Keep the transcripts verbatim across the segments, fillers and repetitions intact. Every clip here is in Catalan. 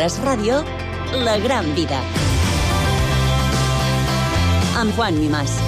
Es Ràdio, La Gran Vida. Amb Juan Mimás.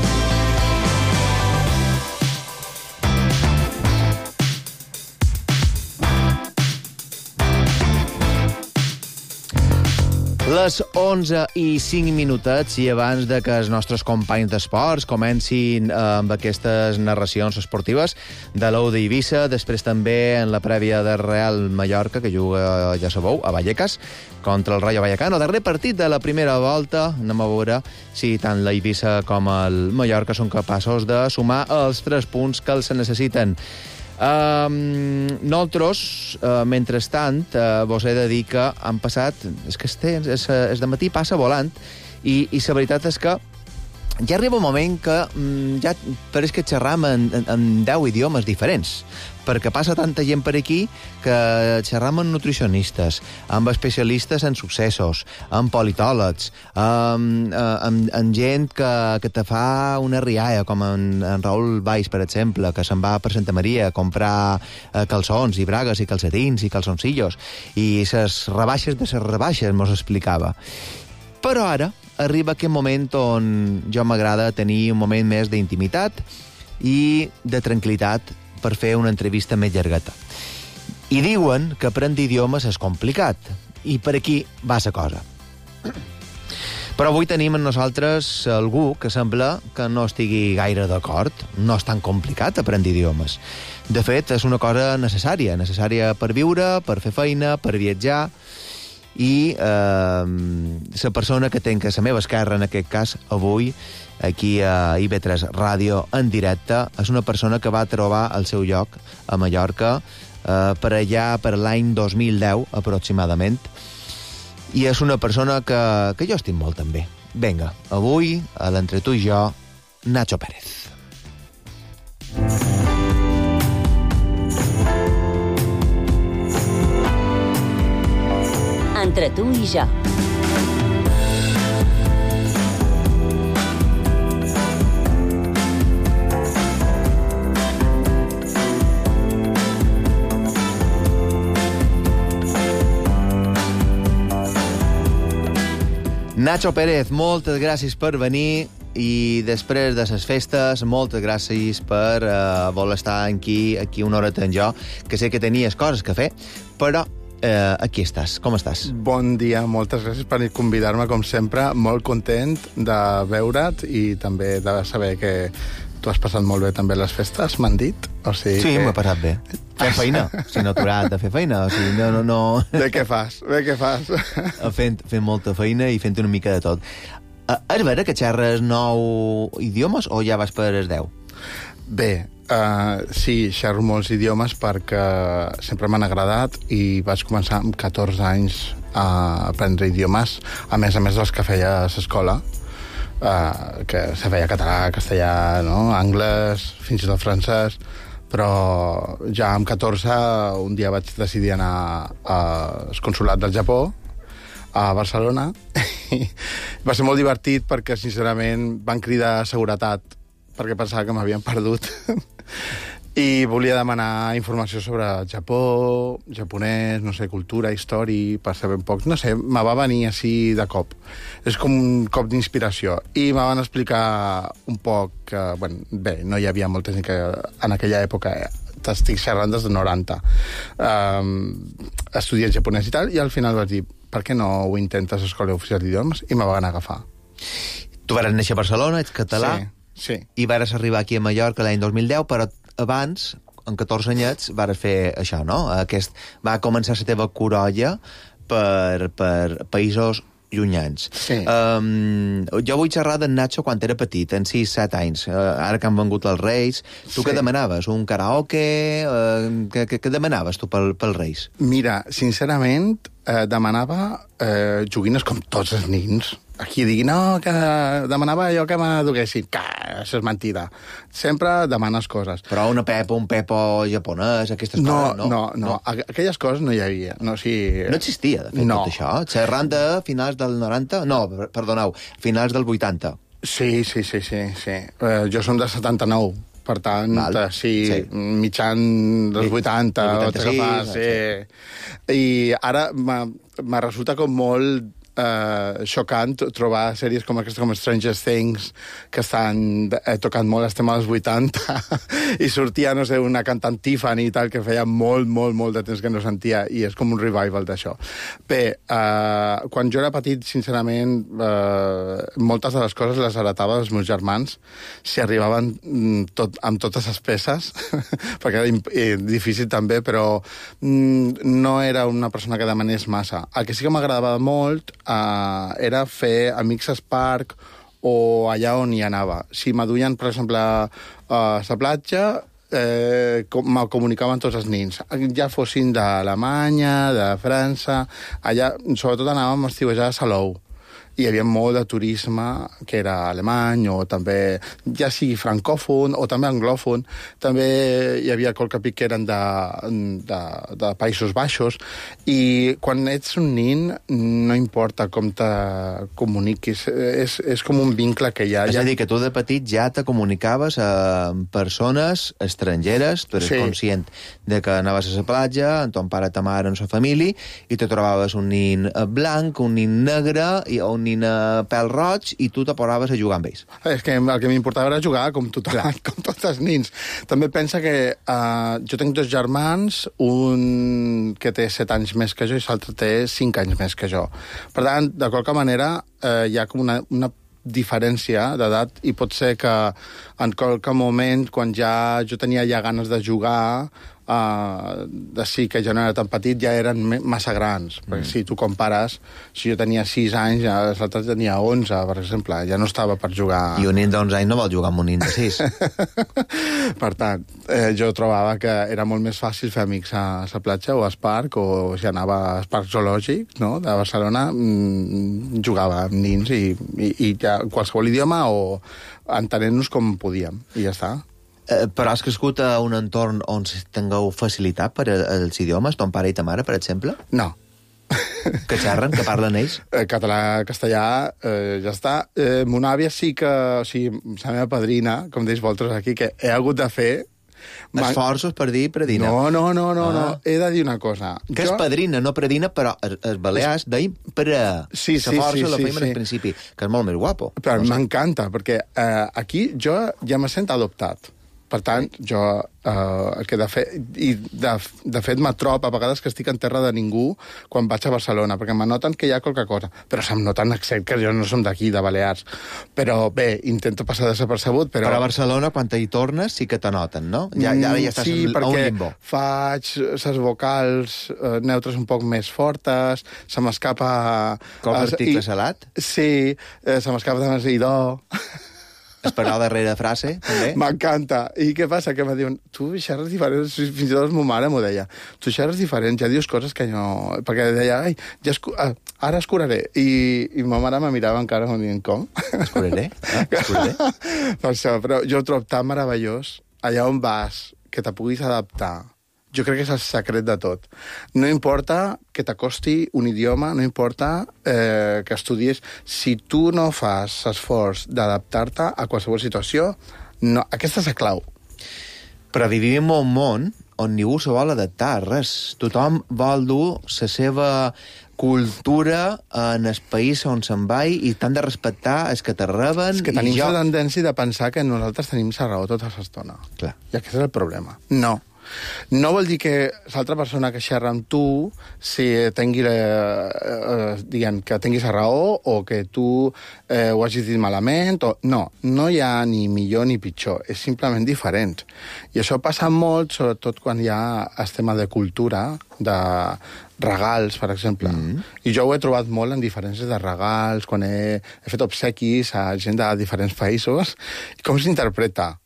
Les onze i cinc minutets i abans de que els nostres companys d'esports comencin amb aquestes narracions esportives de l'Ou d'Eivissa, després també en la prèvia de Real Mallorca, que juga, ja sabeu, a Vallecas, contra el Rayo Vallecano. El darrer partit de la primera volta, anem a veure si tant l'Eivissa com el Mallorca són capaços de sumar els tres punts que els necessiten. Um, nosaltres, uh, mentrestant, uh, vos he de dir que han passat... És que este, és, és de matí passa volant i, i la veritat és que ja arriba un moment que um, ja pareix que xerram en, en, en deu idiomes diferents, perquè passa tanta gent per aquí que xerram amb nutricionistes, amb especialistes en successos, amb politòlegs, amb, amb, amb gent que, que te fa una rialla, com en, en Raül Valls, per exemple, que se'n va per Santa Maria a comprar eh, calçons i bragues i calcetins i calçoncillos, i ses rebaixes de ses rebaixes, mos explicava. Però ara arriba aquest moment on jo m'agrada tenir un moment més d'intimitat i de tranquil·litat per fer una entrevista més llargata. I diuen que aprendre idiomes és complicat, i per aquí va la cosa. Però avui tenim amb nosaltres algú que sembla que no estigui gaire d'acord. No és tan complicat aprendre idiomes. De fet, és una cosa necessària, necessària per viure, per fer feina, per viatjar, i eh, la persona que tenc a la meva esquerra, en aquest cas, avui, aquí a I V tres Ràdio en directe, és una persona que va trobar el seu lloc a Mallorca eh, per allà per l'any dos mil deu, aproximadament, i és una persona que, que jo estic molt també. Vinga, avui, a l'Entre tu i jo, Nacho Pérez. Entre tu i jo. Nacho Pérez, moltes gràcies per venir i després de les festes, moltes gràcies per uh, voler estar aquí, aquí una horeta amb jo, que sé que tenies coses que fer, però Uh, aquí estàs. Com estàs? Bon dia, moltes gràcies per convidar-me, com sempre. Molt content de veure't i també de saber que tu has passat molt bé també les festes, m'han dit. O sigui sí, que... m'ha passat bé. Fent feina, si no aturat de fer feina. O sigui, no, no, no... Bé què fas, bé què fas. Fent, fent molta feina i fent una mica de tot. Uh, és vera que xerres nou idiomes o ja vas per els deu? Bé, Uh, sí, xerro molts idiomes perquè sempre m'han agradat i vaig començar amb catorze anys a aprendre idiomes, a més a més dels que feia a l'escola, uh, que se feia català, castellà, no? Anglès, fins i tot francès, però ja amb catorze un dia vaig decidir anar al consolat del Japó, a Barcelona, i va ser molt divertit perquè, sincerament, van cridar seguretat perquè pensava que m'havien perdut i volia demanar informació sobre Japó, japonès, no sé, cultura, història, per saber un poc. No sé, me va venir així de cop. És com un cop d'inspiració. I me van explicar un poc que, bueno, bé, no hi havia molta gent que en aquella època, t'estic xerrant des de noranta, um, estudiat japonès i tal, i al final vaig dir, per què no ho intentes a l'Escola Oficial d'Idiomes? I me van agafar. Tu vas néixer a Barcelona, ets català, sí. Sí. I vas arribar aquí a Mallorca l'any dos mil deu, però abans, amb catorze anyets, vas fer això, no? Aquest, va començar la teva corolla per, per països llunyans. Sí. Um, jo vull xerrar d'en Nacho quan era petit, en sis set anys, uh, ara que han vengut els Reis. Tu sí. Què demanaves? Un karaoke? Uh, què, què, què demanaves tu pel, pels Reis? Mira, sincerament, eh, demanava eh, joguines com tots els nins. Aquí digui, no, que demanava allò que m'aduguessin. Que això és mentida. Sempre demanes coses. Però una pepa, un pepo japonès, aquestes no, coses, no? No, no, no. Aquelles coses no hi havia. No, o sigui... no existia, de fet, no. Tot això. Xerrant de finals del noranta? No, perdoneu, finals del vuitanta. Sí, sí, sí, sí. sí. Eh, jo som del setanta-nou, per tant, Val. sí, Sí. mitjan dels vuitanta, vuitanta-sis, sí. I ara m'ha m'ha resulta com molt eh, xocant trobar sèries com aquestes, com Stranger Things, que estan eh, tocant molt el tema dels vuitanta, i sortia, no sé, una cantant Tiffany i tal, que feia molt, molt, molt de temps que no sentia, i és com un revival d'això. Bé, eh, quan jo era petit, sincerament, eh, moltes de les coses les heretava dels meus germans, si arribaven tot, amb totes les peces, perquè era eh, difícil també, però mm, no era una persona que demanés massa. El que sí que m'agradava molt Uh, era fer amics al parc o allà on hi anava. Si m'aduien, per exemple, a la platja, eh, com, me comunicaven tots els nins. Ja fossin d'Alemanya, de França... Allà, sobretot, anàvem a estiuejar a Salou. Hi havia molt de turisme que era alemany, o també, ja sigui francòfon, o també anglòfon. També hi havia qualque pic que eren de, de, de Països Baixos. I quan ets un nin, no importa com te comuniquis. És, és com un vincle que hi ha. És a dir, que tu de petit ja te comunicaves amb persones estrangeres, tu eres sí. conscient de que anaves a la platja, amb ton pare, ta mare, amb la família, i te trobaves un nin blanc, un nin negre, i un nin a pèl roig, i tu te posaves a jugar amb ells. És que el que m'importava era jugar com tothom, com tots els nins. També pensa que uh, jo tinc dos germans, un que té set anys més que jo i l'altre té cinc anys més que jo. Per tant, de qualque manera, uh, hi ha com una, una diferència d'edat, i pot ser que en qualque moment, quan ja jo tenia ja ganes de jugar, uh, de sí que jo no era tan petit, ja eren massa grans. Mm. Perquè si tu compares, si jo tenia sis anys, ja l'altre tenia onze, per exemple, ja no estava per jugar. I un nin d'onze anys no vol jugar amb un nin de sis. Per tant, eh, jo trobava que era molt més fàcil fer amics a la platja o al parc, o si anava al parc zoològic, no?, de Barcelona, mmm, jugava amb nins i, i, i ja qualsevol idioma, o entenent-nos com podíem, i ja està. Eh, però has crescut a un entorn on tingueu facilitat per als idiomes, ton pare i ta mare, per exemple? No. Que xerren, que parlen ells? Eh, català, castellà, eh, ja està. Eh, mon àvia sí que, o sigui, la meva padrina, com deis vosaltres aquí, que he hagut de fer... Esforços per dir predina. No, no, no, no, ah. no. He de dir una cosa. Que jo... és padrina, no predina, però els balears deim pre. Sí, sí, la força sí, la sí, feim sí. al principi, que és molt més guapo. Però no sé. M'encanta, perquè eh, aquí jo ja me sent adoptat. Per tant, jo, eh, que de fet, i de, de fet m'atrop a vegades que estic en terra de ningú quan vaig a Barcelona, perquè m'anoten que hi ha qualque cosa. Però se'm noten accent, que jo no som d'aquí, de Balears. Però bé, intento passar desapercebut, però... Però a Barcelona, quan hi tornes, sí que t'anoten, no? Ja, ja, ja estàs sí, a un limbo. Sí, perquè faig les vocals eh, neutres un poc més fortes, se m'escapa... Com eh, l'article i, salat? Sí, eh, se m'escapa de més idò... Esperar la darrera frase, també? M'encanta. I què passa? Que em diuen, tu xerres diferent, fins i tot ma mare m'ho deia, tu xerres diferent, ja dius coses que no... Perquè deia, ai, ja escu... ah, ara escuraré. I, I ma mare me mirava encara com dient, com? Escuraré? Ah, escuraré? Per això, però jo ho trobo tan meravellós, allà on vas, que te puguis adaptar. Jo crec que és el secret de tot. No importa que t'acosti un idioma, no importa eh, que estudies. Si tu no fas esforç d'adaptar-te a qualsevol situació, no, aquesta és la clau. Però vivim en un món on ningú se vol adaptar a res. Tothom vol dur la seva cultura en el país on se'n va i t'han de respectar els que te reben. És que tenim jo... la tendència de pensar que nosaltres tenim la raó tota l'estona. Clar. I aquest és el problema. No. No vol dir que l'altra persona que xerra amb tu si tingui, eh, eh, diguem, que tinguis la raó o que tu eh, ho hagis dit malament. O... No, no hi ha ni millor ni pitjor, és simplement diferent. I això passa molt, sobretot quan hi ha el tema de cultura, de regals, per exemple. Mm. I jo ho he trobat molt en diferències de regals, quan he, he fet obsequis a gent de diferents països, i com s'interpreta.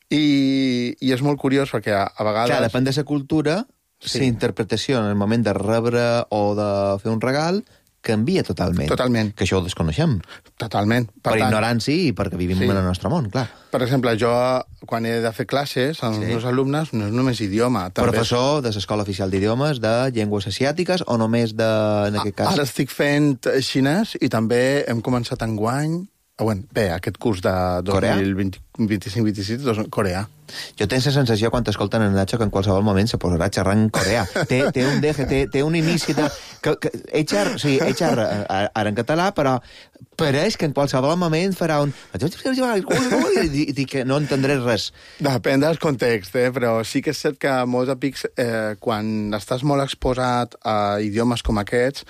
I, i és molt curiós perquè a, a vegades... Clar, depèn de la cultura, sí. La interpretació en el moment de rebre o de fer un regal canvia totalment. Totalment. Que això ho desconeixem. Totalment. Per, per tant, ignorància i perquè vivim sí. en el nostre món, clar. Per exemple, jo, quan he de fer classes als sí. meus alumnes, no és només idioma. També professor de l'Escola Oficial d'Idiomes de Llengües Asiàtiques o només de... En aquest cas... Ara estic fent xinès i també hem començat enguany Bueno, bé, aquest curs de dos mil vint-i-cinc vint-i-sis, coreà. Jo tinc la sensació, quan t'escolten en Nacho, que en qualsevol moment se posarà a xerrar en coreà. Té, té un deje, té, té un inici de... Que, que, ell xerra, o sigui, ell xerra ara en català, però pareix que en qualsevol moment farà un... I dic que no entendré res. Depèn del context, eh? Però sí que és cert que molts amics, eh, quan estàs molt exposat a idiomes com aquests,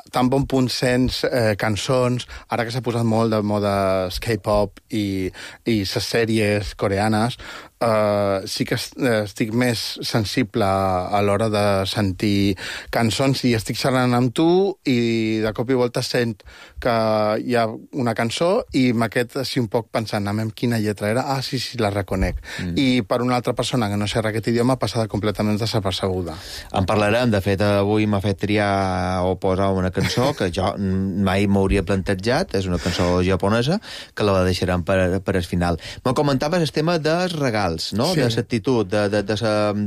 tan bon punt sents eh, cançons, ara que s'ha posat molt de moda K-pop i, i les sèries coreanes, eh, sí que estic més sensible a l'hora de sentir cançons i estic xerrant amb tu i de cop i volta sent que hi ha una cançó i m'aquest així un poc pensant amb quina lletra era, ah, sí, sí, la reconec. Mm. I per una altra persona que no xerra aquest idioma passada completament desapercebuda. En parlarem, de fet, avui m'ha fet triar o posar una cançó que jo mai m'hauria plantejat, és una cançó japonesa, que la deixarem per, per al final. Me comentaves el tema dels regals, no? Sí. De l'actitud, de, de, de,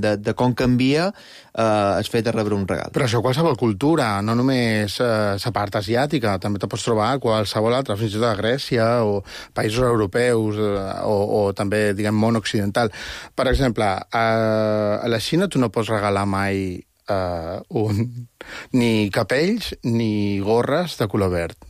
de, de com canvia eh, el fet de rebre un regal. Però això qualsevol cultura, no només la eh, part asiàtica, també te pots trobar a qualsevol altra, fins i tot a Grècia o països europeus eh, o, o també, diguem, món occidental. Per exemple, a, a la Xina tu no pots regalar mai Uh, un, ni capells ni gorres de color verd.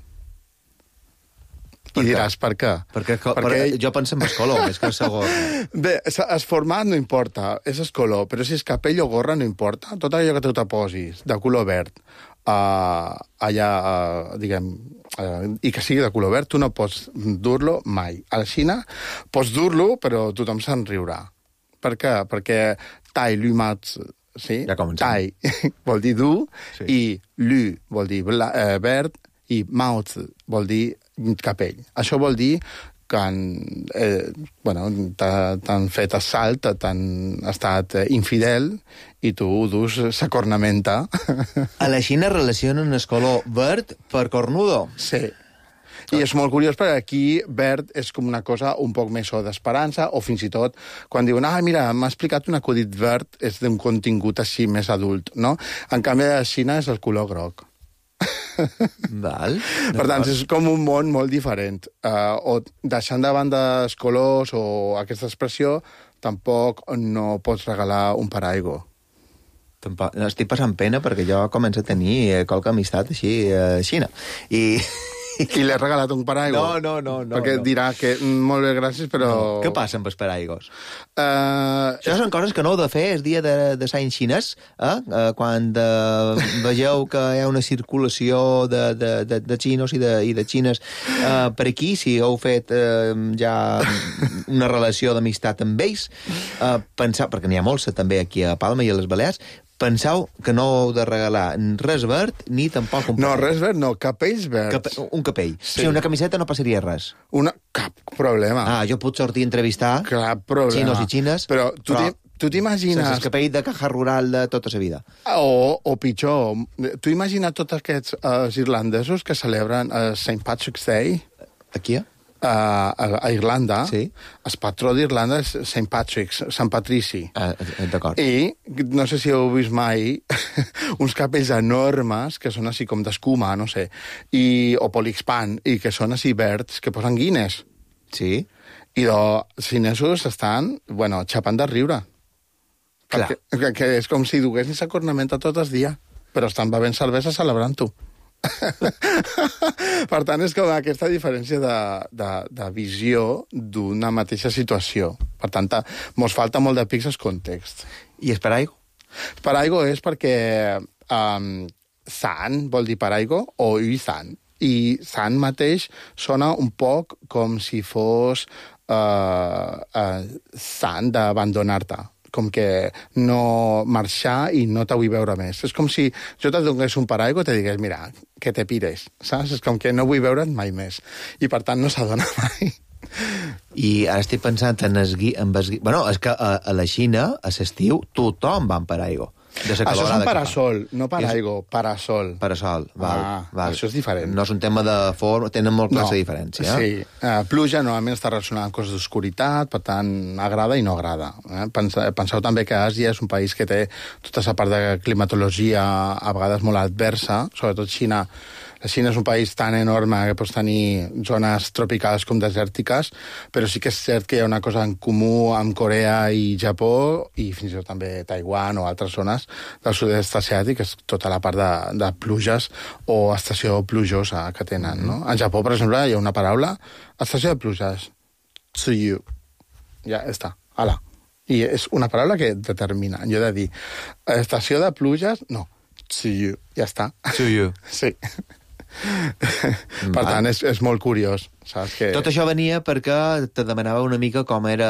I diràs, per què? Perquè, perquè... perquè jo penso en el color, més que el gorra. Bé, el format no importa, és el color, però si és capell o gorra no importa. Tot allò que tu te posis de color verd, uh, allà, uh, diguem, uh, i que sigui de color verd, tu no pots dur-lo mai. A la Xina pots dur-lo, però tothom se'n riurà. Per què? Perquè tai lumats, sí? Ja tai vol dir dur, sí. I lu vol dir bla, eh, verd, i maoz vol dir capell. Això vol dir que han, eh, bueno, t'han fet assalt, t'han estat infidel, i tu dus sa cornamenta. A la Xina relacionen el color verd per cornudo. Sí. I és molt curiós perquè aquí verd és com una cosa un poc més o d'esperança, o fins i tot quan diuen, ah, mira, m'ha explicat un acudit verd, és d'un contingut així més adult, no? En canvi, a la Xina és el color groc. Val. Per tant, és com un món molt diferent. Uh, o deixant de banda els colors o aquesta expressió, tampoc no pots regalar un paraigua. Tampoc. Estic passant pena perquè jo començo a tenir qualque amistat així a Xina. I... I l'he regalat un paraigua? No, no, no. no perquè no. dirà que molt bé, gràcies, però... No. Què passa amb els paraigos? Uh... Això són coses que no heu de fer el dia de, de Sant Xinès, eh? Uh, quan uh, vegeu que hi ha una circulació de, de, de, de xinos i de, i de xines uh, per aquí, si heu fet uh, ja una relació d'amistat amb ells, uh, pensar, perquè n'hi ha molts també aquí a Palma i a les Balears, penseu que no heu de regalar res verd ni tampoc un capell. No, res verd, no, capells verds. Cape un capell. Sí. O sigui, una camiseta no passaria res. Una... Cap problema. Ah, jo puc sortir a entrevistar Cap problema. xinos i xines, però tu però tu t'imagines... sense el capell de caja rural de tota la vida. O, o pitjor, tu imagina tots aquests uh, irlandesos que celebren uh, Saint Patrick's Day? Aquí? A, a, a Irlanda, sí. El patró d'Irlanda és Saint Patrick's, Sant Patrici. Ah, d'acord. I no sé si heu vist mai uns capells enormes que són així com d'escuma, no sé, i, o polixpan, i que són així verds, que posen guines. Sí. I els xinesos estan, bueno, xapant de riure. Clar. Perquè, que és com si duguessin sa cornamenta tot el dia, però estan bevent cervesa celebrant-ho. Per tant, és com aquesta diferència de, de, de visió d'una mateixa situació. Per tant, mos falta molt de pics el context. I el paraigua? Paraigua és perquè um, san vol dir paraigua o i san. I san mateix sona un poc com si fos uh, uh, san d'abandonar-te. Com que no marxar i no te vull veure més. És com si jo te donés un paraigua i te digués, mira, que te pires, saps? És com que no vull veure't mai més. I per tant no s'adona mai. I ara estic pensant en esgui... En esgui... Bueno, és que a, a la Xina, a l'estiu, tothom va amb paraigua. Això és un parasol, no paraigua, és... parasol. Parasol, val, ah, val. Això és diferent. No és un tema de forma, tenen molt classe no. diferència. Sí, uh, pluja normalment està relacionada amb coses d'oscuritat, per tant, agrada i no agrada. Eh? Penseu, penseu també que Àsia és un país que té tota aquesta part de climatologia a vegades molt adversa, sobretot Xina. La Xina és un país tan enorme que pots tenir zones tropicals com desèrtiques, però sí que és cert que hi ha una cosa en comú amb Corea i Japó, i fins i tot també Taiwan o altres zones del sud-est asiàtic, que és tota la part de, de pluges o estació plujosa que tenen, no? En Japó, per exemple, hi ha una paraula, estació de pluges, tsuyu. Ja està, ala. I és una paraula que determina. Jo he de dir, estació de pluges, no, tsuyu, ja està. Tsuyu. Sí. Per tant, és, és molt curiós, saps? Que... Tot això venia perquè te demanava una mica com era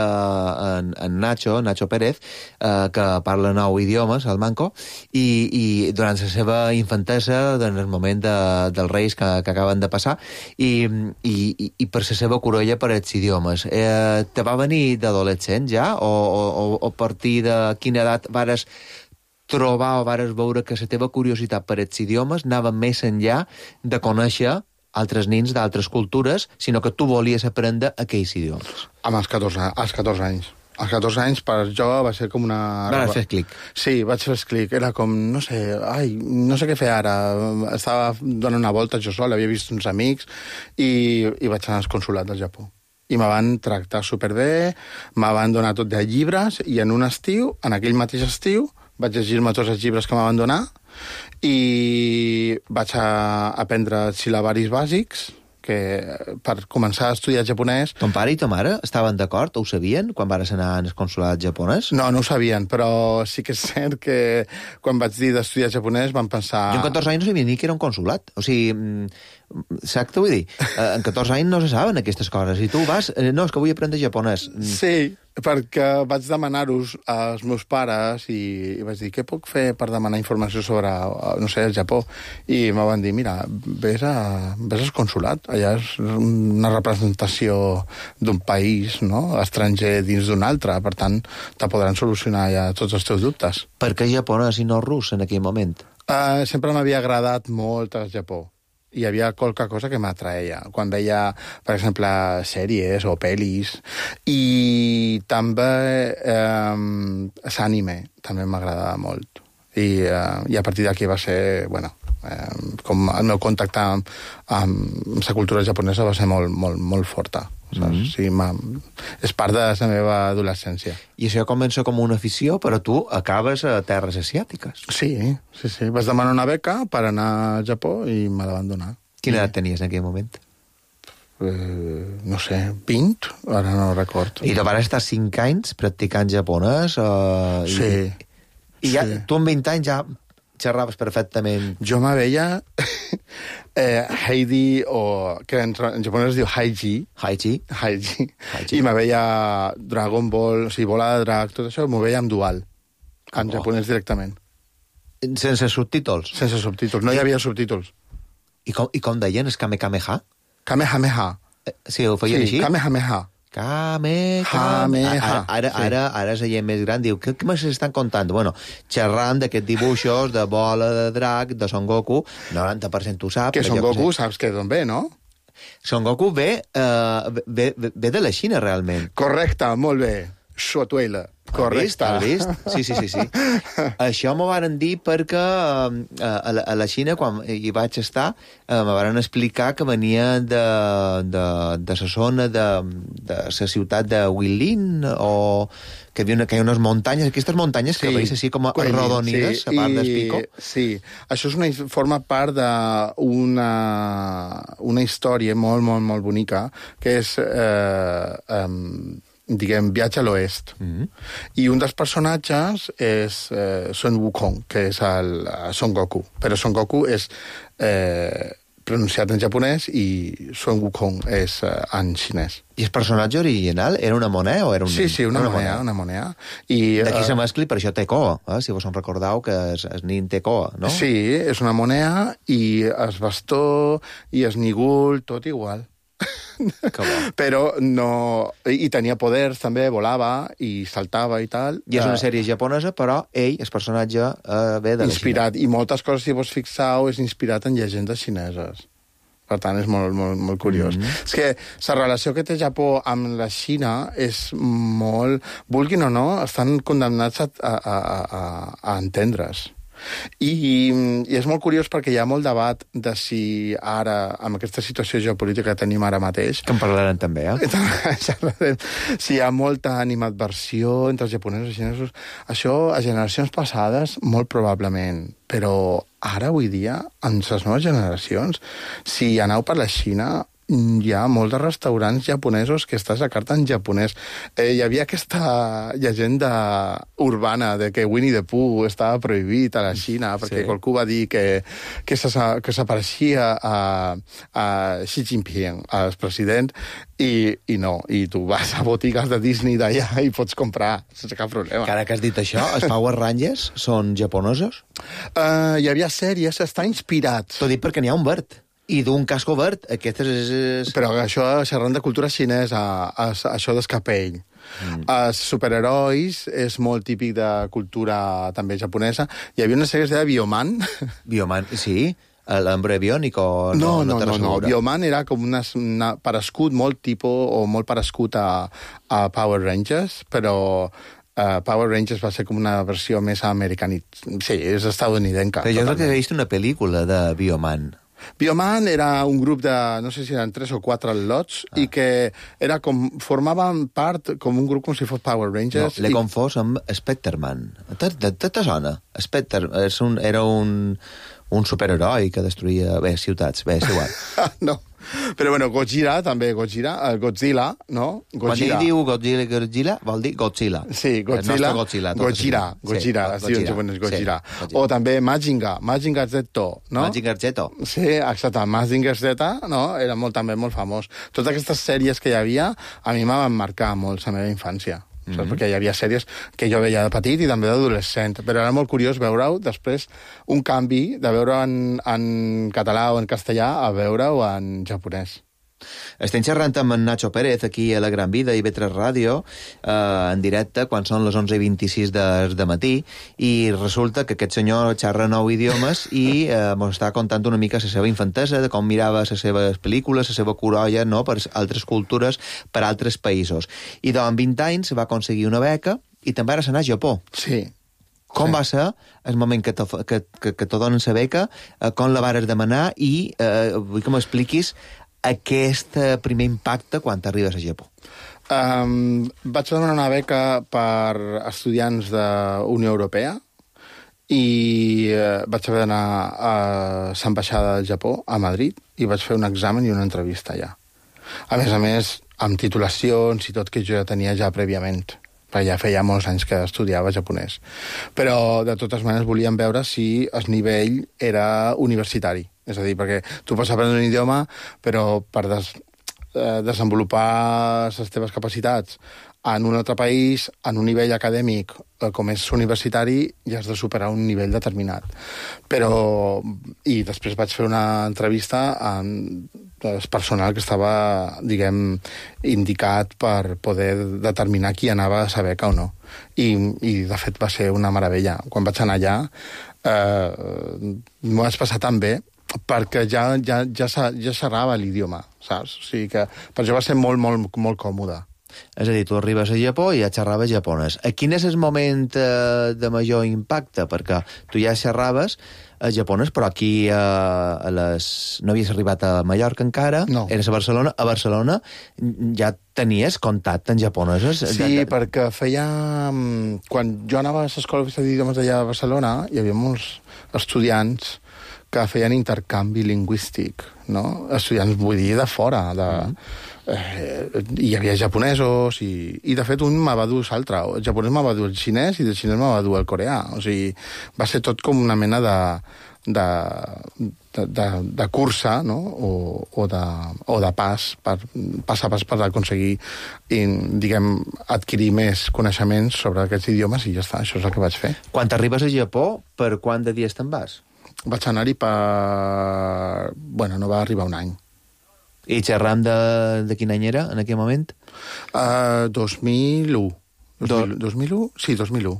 en, en Nacho, Nacho Pérez, eh, que parla nou idiomes, el manco, i, i durant la seva infantesa, en el moment de, dels reis que, que acaben de passar, i, i, i per la seva corolla per els idiomes. Eh, te va venir d'adolescent ja? O, o, o a partir de quina edat vares trobar o vares veure que la teva curiositat per els idiomes anava més enllà de conèixer altres nins d'altres cultures, sinó que tu volies aprendre aquells idiomes? Amb els catorze, als catorze anys. Als catorze anys, per jo, va ser com una... Vas fer clic. Sí, vaig fer clic. Era com, no sé, ai, no sé què fer ara. Estava donant una volta jo sol, havia vist uns amics, i, i vaig anar al consulat del Japó. I me van tractar superbé, me van donar tot de llibres, i en un estiu, en aquell mateix estiu, vaig llegir-me tots els llibres que m'han donar i vaig a aprendre sil·labaris bàsics, que per començar a estudiar japonès... Ton pare i ta mare estaven d'acord? Ho sabien quan vares anar al consulat japonès? No, no ho sabien, però sí que és cert que quan vaig dir d'estudiar japonès van pensar... Jo en catorze anys no sabia ni que era un consulat. O sigui, saps què vull dir? En catorze anys no se saben aquestes coses. I tu vas... No, és que vull aprendre japonès. Sí, perquè vaig demanar-los als meus pares i, i vaig dir, què puc fer per demanar informació sobre, no sé, el Japó? I me van dir, mira, vés, a, vés al consulat. Allà és una representació d'un país, no?, estranger dins d'un altre. Per tant, te podran solucionar ja tots els teus dubtes. Per què japonès i no rus en aquell moment? Uh, sempre m'havia agradat molt el Japó. Hi havia qualque cosa que m'atraia. Quan veia, per exemple, sèries o pel·lis. I també eh, l'anime també m'agradava molt. I, eh, I a partir d'aquí va ser, bueno, eh, com el meu contacte amb, amb la cultura japonesa va ser molt, molt, molt forta. Mm-hmm. Sí, és part de la meva adolescència. I això comença com una afició, però tu acabes a terres asiàtiques. Sí, sí, sí. Vas demanar una beca per anar al Japó i me la van donar. Quina I... edat tenies en aquell moment? Eh, no sé, vint? Ara no record. I tu vas estar cinc anys practicant japonès? Eh, sí. I, i ja, sí. Tu amb vint anys ja xerraves perfectament. Jo me veia eh, Heidi, o que en, en japonès es diu Haiji. Haiji. Haiji. I me veia Dragon Ball, o sigui, bola de drac, tot això, m'ho veia en dual. En oh. japonès directament. Sense subtítols? Sense subtítols, no hi havia subtítols. I com, i com deien? És Kamehameha? Kamehameha. Eh, sí, ho feien sí, així? Kamehameha. Kamehameha. Ara, ara, sí. ara, ara la gent més gran diu, què, què m'estan contant? Bueno, xerrant d'aquests dibuixos de bola de drac, de Son Goku, noranta per cent tu saps. Que Son Goku saps que d'on ve, no? Son Goku ve, uh, ve, ve de la Xina, realment. Correcte, molt bé. Xuatuela. Correcte. Has vist? Sí, sí, sí, sí. Això m'ho varen dir perquè uh, a, la, a la Xina, quan hi vaig estar, uh, me varen explicar que venia de, de, de la zona de, de la ciutat de Huilin, o que hi havia una, que hi ha unes muntanyes, aquestes muntanyes sí, que veus així com arrodonides, sí, a part del pico. Sí, això és una, forma part d'una una història molt, molt, molt bonica, que és... Eh, um, diguem, viatge a l'oest. Mm-hmm. I un dels personatges és eh, Sun Wukong, que és el, el Son Goku. Però Son Goku és eh, pronunciat en japonès i Sun Wukong és eh, en xinès. I el personatge original era una moneda o era un... Sí, sí, una, una moneda, una moneda. I d'aquí uh, se mescli, per això té coa, eh? Si vos en recordeu que es, es nin té coa, no? Sí, és una moneda i es bastó i es nigul, tot igual. Però no... I tenia poders, també, volava i saltava i tal. I és una sèrie japonesa, però ell, el personatge, eh, ve de la inspirat. Xina. I moltes coses, si vos fixeu, és inspirat en llegendes xineses. Per tant, és molt, molt, molt curiós. Mm-hmm. És que la relació que té Japó amb la Xina és molt... Vulguin o no, estan condemnats a, a, a, a entendre's. I, I és molt curiós perquè hi ha molt debat de si ara, amb aquesta situació geopolítica que tenim ara mateix... Que en parlarem també, eh? Si hi ha molta animadversió entre els japonesos i xinesos. Això, a generacions passades, molt probablement. Però ara, avui dia, en les noves generacions, si aneu per la Xina... hi ha molts de restaurants japonesos que estàs a carta en japonès. Eh, hi havia aquesta llegenda urbana de que Winnie the Pooh estava prohibit a la Xina perquè sí. Qualcú va dir que, que s'apareixia a, a Xi Jinping, al president, i, i no. I tu vas a botigues de Disney d'allà i pots comprar sense cap problema. Que ara que has dit això, els Power Rangers són japonesos? Uh, hi havia sèries, està inspirat. T'ho dic perquè n'hi ha un verd. I d'un casco verd, aquest és... és... Però això, xerrant de cultura xinesa, es, això d'escapell. Mm. Els superherois és molt típic de cultura també japonesa. Hi havia una sèrie que es deia Bioman. Bioman, sí. L'Hambre Biònic o... No, no, no, no, no. Bioman era com una, una parescut molt tipus o molt parescut a, a Power Rangers, però... Uh, Power Rangers va ser com una versió més americanita. Sí, és estadounidenca. Però jo crec que he vist una pel·lícula de Bioman. Bioman era un grup de, no sé si eren tres o quatre lots, ah. i que era com, formaven part com un grup com si fos Power Rangers. No, l'he i... confós amb Specterman. Te, te, te, te sona? Specter, és un, era un, un superheroi que destruïa bé, ciutats. Bé, és igual. No. Però bueno, Gojira, també, Gojira, uh, Godzilla, no? Gojira. Quan ell diu Godzilla, Godzilla, vol dir Godzilla. Sí, Godzilla, Godzilla, Gojira, Gojira, sí, es diu en japonès Gojira. Sí, Gojira. O també Majinga, Majinga Z, no? Majinga Z. Sí, exacte, Majinga Z, no? Era molt, també molt famós. Totes aquestes sèries que hi havia, a mi m'han marcat molt la meva infància. Mm -hmm. Perquè hi havia sèries que jo veia de petit i també d'adolescent, però era molt curiós veure-ho després, un canvi de veure en, en català o en castellà a veure-ho en japonès. Estem xerrant amb en Nacho Pérez aquí a La Gran Vida i B tres Ràdio eh, en directe quan són les onze i vint-i-sis de, de matí i resulta que aquest senyor xerra nou idiomes i eh, ens està contant una mica la seva infantesa, de com mirava les seves pel·lícules, la seva curolla, no?, per altres cultures, per altres països. I doncs, amb vint anys va aconseguir una beca i també ara s'anà a Japó. Sí. Com sí. va ser el moment que te, que, que, que te donen la beca, eh, com la vares demanar i eh, vull que m'expliquis aquest primer impacte quan t'arribes a Japó? Um, vaig demanar una beca per estudiants de Unió Europea i uh, vaig haver d'anar a l'ambaixada del Japó, a Madrid, i vaig fer un examen i una entrevista allà. A més a més, amb titulacions i tot que jo ja tenia ja prèviament, perquè ja feia molts anys que estudiava japonès. Però, de totes maneres, volíem veure si el nivell era universitari. És a dir, perquè tu pots aprendre un idioma, però per des, eh, desenvolupar les teves capacitats en un altre país, en un nivell acadèmic, eh, com és universitari, ja has de superar un nivell determinat. Però, i després vaig fer una entrevista amb el personal que estava, diguem, indicat per poder determinar qui anava a la beca o no. I, i de fet, va ser una meravella. Quan vaig anar allà, eh, m'ho vaig passar tan bé, perquè ja, ja, ja, ja xerrava l'idioma, saps? O sigui que per això va ser molt, molt, molt còmode. És a dir, tu arribes a Japó i ja xerraves japonès. A quin és el moment eh, de major impacte? Perquè tu ja xerraves a japonès, però aquí eh, a les... no havies arribat a Mallorca encara, no. Eres a Barcelona. A Barcelona ja tenies contacte en japonesos? Sí, de... perquè feia... Quan jo anava a l'escola oficial d'idiomes d'allà a Barcelona, hi havia molts estudiants que feien intercanvi lingüístic, no? Estudiants, vull dir, de fora, de... Mm. Eh, hi havia japonesos i, i de fet un me va dur l'altre. El japonès me va dur el xinès i del xinès me va dur el coreà. O sigui, va ser tot com una mena de, de, de, de, de cursa, no? O, o, de, o de pas, per, pas a pas per aconseguir, i, diguem, adquirir més coneixements sobre aquests idiomes i ja està, això és el que vaig fer. Quan t'arribes a Japó, per quant de dies te'n vas? Vaig anar-hi per... Bueno, no va arribar un any. I xerram de, de quin any era, en aquell moment? Uh, dos mil u. Do... dos mil u? Sí, dos mil u.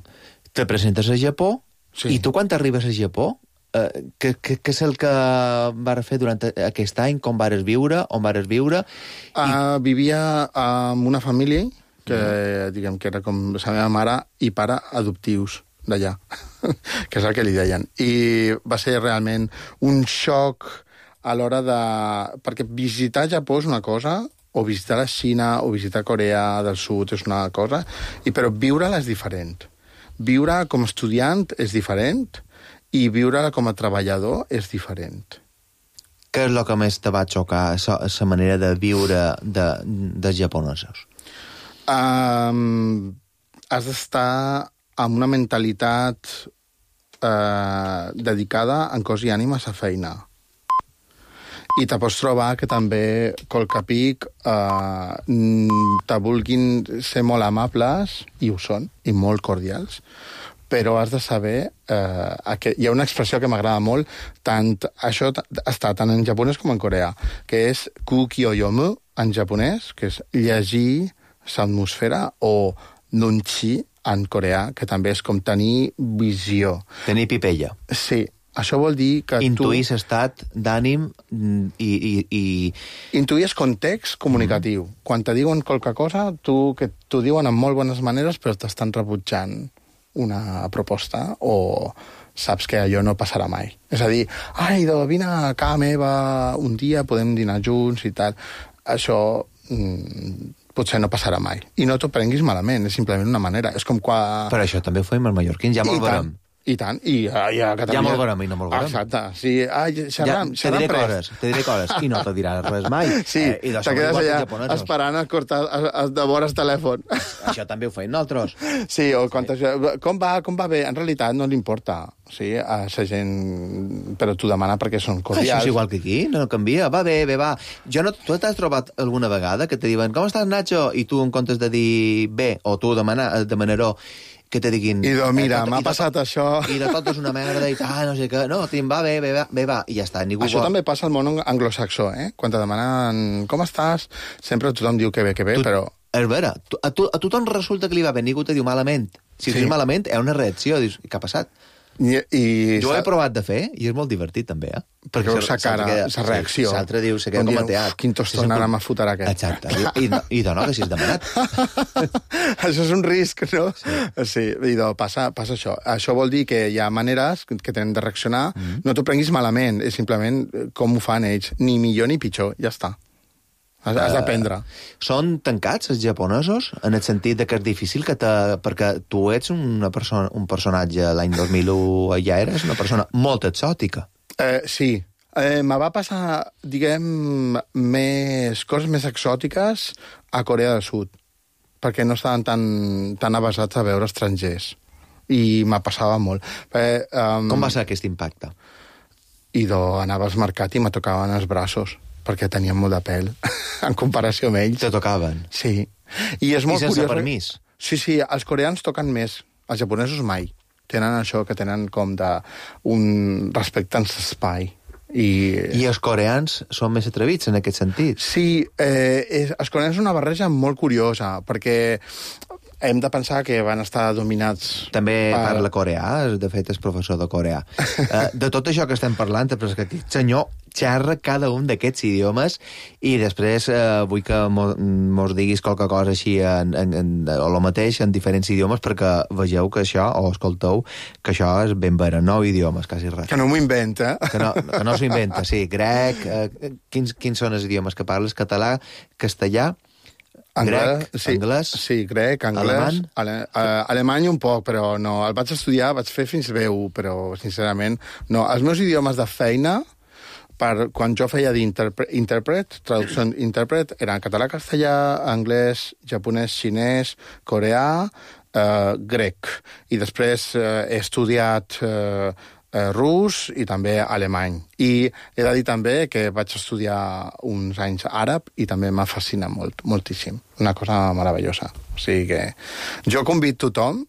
Te presentes a Japó, sí. I tu quan t'arribes a Japó, uh, què, què, què és el que vas fer durant aquest any, com vas viure, on vas viure? Uh, I... Vivia amb una família que, mm. diguem, que era com la meva mare i pare adoptius, d'allà, que és el que li deien. I va ser realment un xoc a l'hora de... Perquè visitar Japó és una cosa, o visitar la Xina, o visitar Corea del Sud és una cosa, i però viure-la és diferent. Viure com a estudiant és diferent, i viure com a treballador és diferent. Què és el que més te va xocar, la manera de viure de, dels japonesos? Um, has d'estar amb una mentalitat uh, dedicada en cos i ànima a la feina. I te pots trobar que també, colca pic, uh, te vulguin ser molt amables, i ho són, i molt cordials, però has de saber... Eh, que hi ha una expressió que m'agrada molt, tant, això està tant en japonès com en coreà, que és kuki o yomu en japonès, que és llegir l'atmosfera, o nunchi en coreà, que també és com tenir visió. Tenir pipella. Sí, això vol dir que intuir tu... l'estat d'ànim i, i, i... Intuir és context comunicatiu. Mm. Quan te diuen qualque cosa, tu, que t'ho diuen amb molt bones maneres, però t'estan rebutjant una proposta, o saps que allò no passarà mai. És a dir, ai, doncs vine a casa meva un dia, podem dinar junts i tal. Això mmm, potser no passarà mai. I no t'ho prenguis malament, és simplement una manera. És com quan... Per això també ho fem els mallorquins, ja molt veurem. I tant, i, i a Catalunya... Ja molt veurem i no molt veurem. Exacte, sí, ai, xerram, ja, xerram te diré coses, te diré coses, i no te diràs res mai. Sí, eh, i te quedes allà esperant a cortar, a, a devores telèfon. Això també ho feim nosaltres. Sí, o quan sí. Com va, com va bé? En realitat no li importa, sí, a la gent, però t'ho demana perquè són cordials. Això és igual que aquí, no canvia, va bé, bé, va. Jo no, tu t'has trobat alguna vegada que te diuen, com estàs, Nacho? I tu, en comptes de dir bé, o tu demanar, demanaró, que te diguin... I doncs, mira, eh, m'ha passat tot, això... I de tot és una merda, i tal, no sé què... No, tim, va bé, bé, bé, va, i ja està. Ningú això vol... també passa al món anglosaxó, eh? Quan te demanen com estàs, sempre tothom diu que bé, que bé, tu, però... És vera, a, tu, a tothom resulta que li va bé, ningú te diu malament. Si sí. dius malament, hi ha una reacció, dius, què ha passat? I, i jo ho he provat de fer, i és molt divertit, també, eh? Perquè veus la cara, la reacció. L'altre diu, se queda com a teat. Quin tostón ara m'ha fotut aquest. Exacte. I, i, i de no, que si has demanat. Això és un risc, no? Sí. Sí, i de, passa, passa això. Això vol dir que hi ha maneres que tenen de reaccionar. Mm-hmm. No t'ho prenguis malament, és simplement com ho fan ells. Ni millor ni pitjor, ja està. Has, has d'aprendre. Uh, són tancats, els japonesos, en el sentit de que és difícil que te... Perquè tu ets una persona, un personatge l'any dos mil u, ja eres una persona molt exòtica. Eh, sí. Eh, me va passar, diguem, més coses més exòtiques a Corea del Sud, perquè no estaven tan, tan avasats a veure estrangers. I me passava molt. Eh, um, Com va ser aquest impacte? I do, anava al mercat i me tocaven els braços, perquè tenien molt de pèl, en comparació amb ells. Te tocaven? Sí. I és molt I sense curiós, permís? Sí, sí, els coreans toquen més, els japonesos mai. Tenen això que tenen com de un respecte en l'espai. I... I els coreans són més atrevits en aquest sentit? Sí, eh, és, els coreans és una barreja molt curiosa, perquè hem de pensar que van estar dominats... També per... parla coreà, de fet és professor de coreà. uh, de tot això que estem parlant, però és que aquest senyor xerra cada un d'aquests idiomes i després uh, vull que mos, mos diguis qualque cosa així en, en, en, o el mateix en diferents idiomes perquè vegeu que això, o escolteu, que això és ben vera, nou idiomes, quasi res. Que no m'ho inventa. Que no, que no s'ho inventa, sí. Grec, uh, quins, quins són els idiomes que parles? Català, castellà, Anglès, grec, sí, anglès, sí, grec, anglès, alemany, ale, uh, alemany un poc, però no, el vaig estudiar, vaig fer fins bé u, però sincerament no. Els meus idiomes de feina, per, quan jo feia d'intèrpret, traducció intèrpret, eren català, castellà, anglès, japonès, xinès, coreà, uh, grec. I després uh, he estudiat uh, uh, rus i també alemany. I he de dir també que vaig estudiar uns anys àrab i també m'ha fascinat molt, moltíssim. Una cosa meravellosa. O sigui que jo convido tothom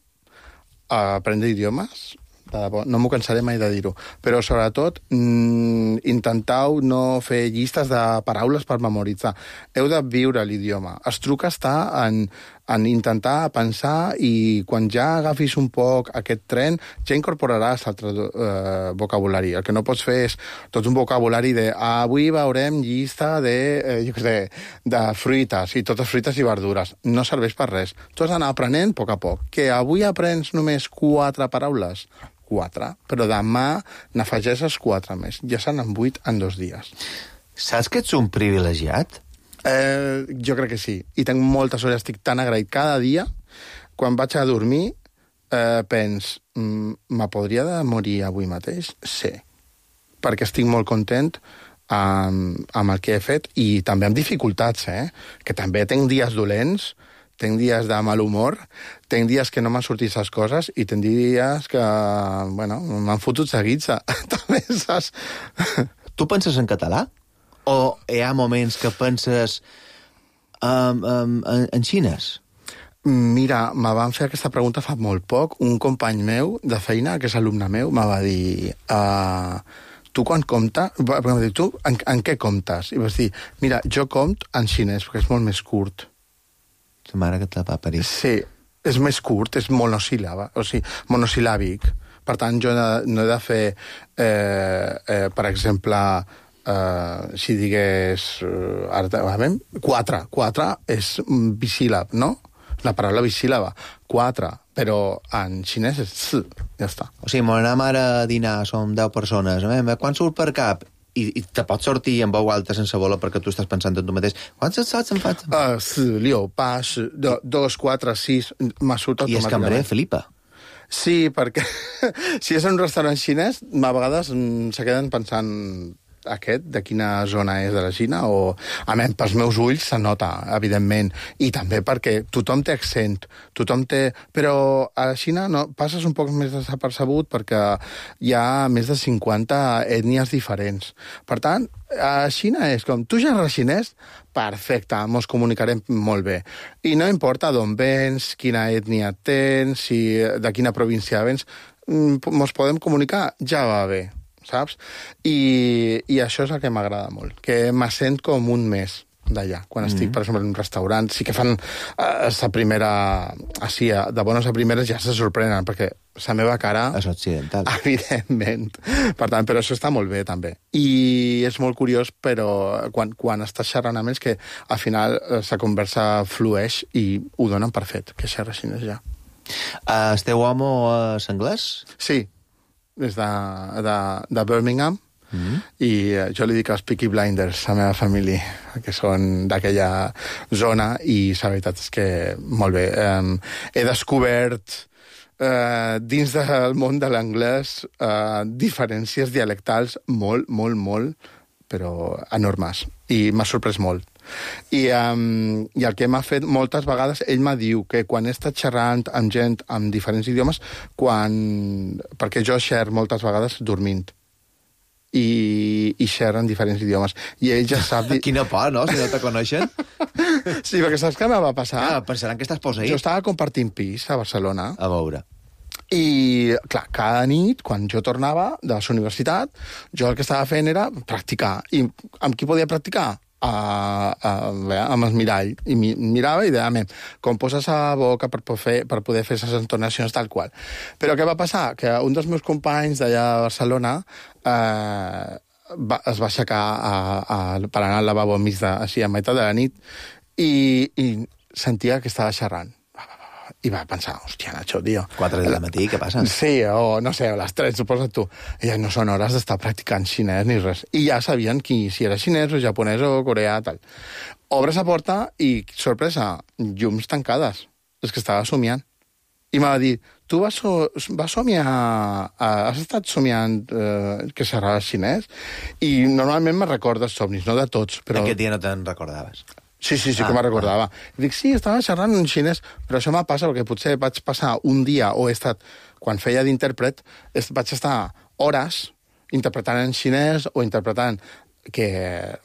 a aprendre idiomes, no m'ho cansaré mai de dir-ho, però sobretot mm, intenteu no fer llistes de paraules per memoritzar. Heu de viure l'idioma. Estruca està en, en intentar pensar i quan ja agafis un poc aquest tren, ja incorporaràs altre eh, vocabulari. El que no pots fer és tot un vocabulari de avui veurem llista de, eh, jo què sé, de fruites, i totes fruites i verdures. No serveix per res. Tu has d'anar aprenent a poc a poc. Que avui aprens només quatre paraules, quatre, però demà n'afegeixes quatre més. Ja se n'han vuit en dos dies. Saps que ets un privilegiat? Eh, jo crec que sí. I tinc molta sort, estic tan agraït cada dia. Quan vaig a dormir, eh, pens, me podria de morir avui mateix? Sí. Perquè estic molt content amb, amb el que he fet i també amb dificultats, eh? Que també tinc dies dolents, tinc dies de mal humor, tinc dies que no m'han sortit les coses i tinc dies que, bueno, m'han fotut seguits. També, saps? Tu penses en català? O hi ha moments que penses um, um, en, en xinès? Mira, me van fer aquesta pregunta fa molt poc. Un company meu de feina, que és alumne meu, me va dir... Uh, tu quan comptes... Va dir, tu en, en què comptes? I vas dir, mira, jo compto en xinès, perquè és molt més curt. La mare que te va parir. Sí, és més curt, és monosíl·laba, o sigui, monosil·làbic. Per tant, jo no he de fer, eh, eh, per exemple... Uh, si digués uh, ara, veiem, quatre, quatre és bisíl·lab, no? La paraula bisíl·laba, quatre, però en xinès és s, ja està. O sigui, anem ara a dinar, som deu persones, eh? Quan surt per cap? I, i te pots sortir en veu alta sense voler perquè tu estàs pensant en tu mateix. Quants saps en faig? Uh, s, liu, pa, s, do, dos, quatre, sis, m'ha surt automàticament. I és cambrer, Felipa? Sí, perquè si és en un restaurant xinès, a vegades se queden pensant... aquest, de quina zona és de la Xina, o, a més, pels meus ulls se nota, evidentment, i també perquè tothom té accent, tothom té... Però a la Xina no, passes un poc més desapercebut perquè hi ha més de cinquanta ètnies diferents. Per tant, a la Xina és com, tu ja eres xinès? Perfecte, mos comunicarem molt bé. I no importa d'on vens, quina ètnia tens, si, de quina província vens, mos podem comunicar, ja va bé. Saps? I, i això és el que m'agrada molt, que m'assent com un més d'allà. Quan estic, mm-hmm. per exemple, en un restaurant, sí que fan eh, sa primera... Així, de bones a primeres ja se sorprenen, perquè la meva cara... És occidental. Evidentment. Per tant, però això està molt bé, també. I és molt curiós, però quan, quan estàs xerrant amb ells, que al final la conversa flueix i ho donen per fet, que xerra xinès ja. Uh, el teu home és anglès? Sí. És de, de, de Birmingham, mm-hmm. i jo li dic els Peaky Blinders a la meva família, que són d'aquella zona, i la veritat és que molt bé. Um, he descobert uh, dins del món de l'anglès uh, diferències dialectals molt, molt, molt, però enormes, i m'ha sorprès molt. I, um, i el que m'ha fet moltes vegades, ell m'ha diu que quan he estat xerrant amb gent amb diferents idiomes, quan... perquè jo xer moltes vegades dormint, i, i xerren diferents idiomes, i ell ja sap... Di... Quina por, no?, si no te coneixen. Sí, perquè saps què em va passar? Ah, pensaran que estàs posseït. Jo estava compartint pis a Barcelona. A veure. I, clar, cada nit, quan jo tornava de la universitat, jo el que estava fent era practicar. I amb qui podia practicar? A, a, a, amb el mirall, i mi, mirava i deia, com poses a boca per poder fer, per poder fer les entonacions tal qual. Però què va passar? Que un dels meus companys d'allà a Barcelona eh, va, es va aixecar a, a, per anar al lavabo enmig de, així, a meitat de la nit, i, i sentia que estava xerrant. I va pensar, hòstia, Nacho, tio... Quatre del matí, què passa? Sí, o no sé, a les tres, suposa't tu. I ja no són hores d'estar practicant xinès ni res. I ja sabien qui, si era xinès o japonès o coreà, tal. Obres la porta i, sorpresa, llums tancades. És que estava somiant. I m'ha dit, tu vas, so, vas somiar... Has estat somiant eh, que xerraves xinès? I normalment me recordes somnis, no de tots, però... Aquest dia no te'n recordaves? Sí, sí, sí ah, que me'n recordava. Ah. I dic, sí, estava xerrant en xinès, però això m'ha passat perquè potser vaig passar un dia, o he estat, quan feia d'intèrpret, vaig estar hores interpretant en xinès o interpretant, que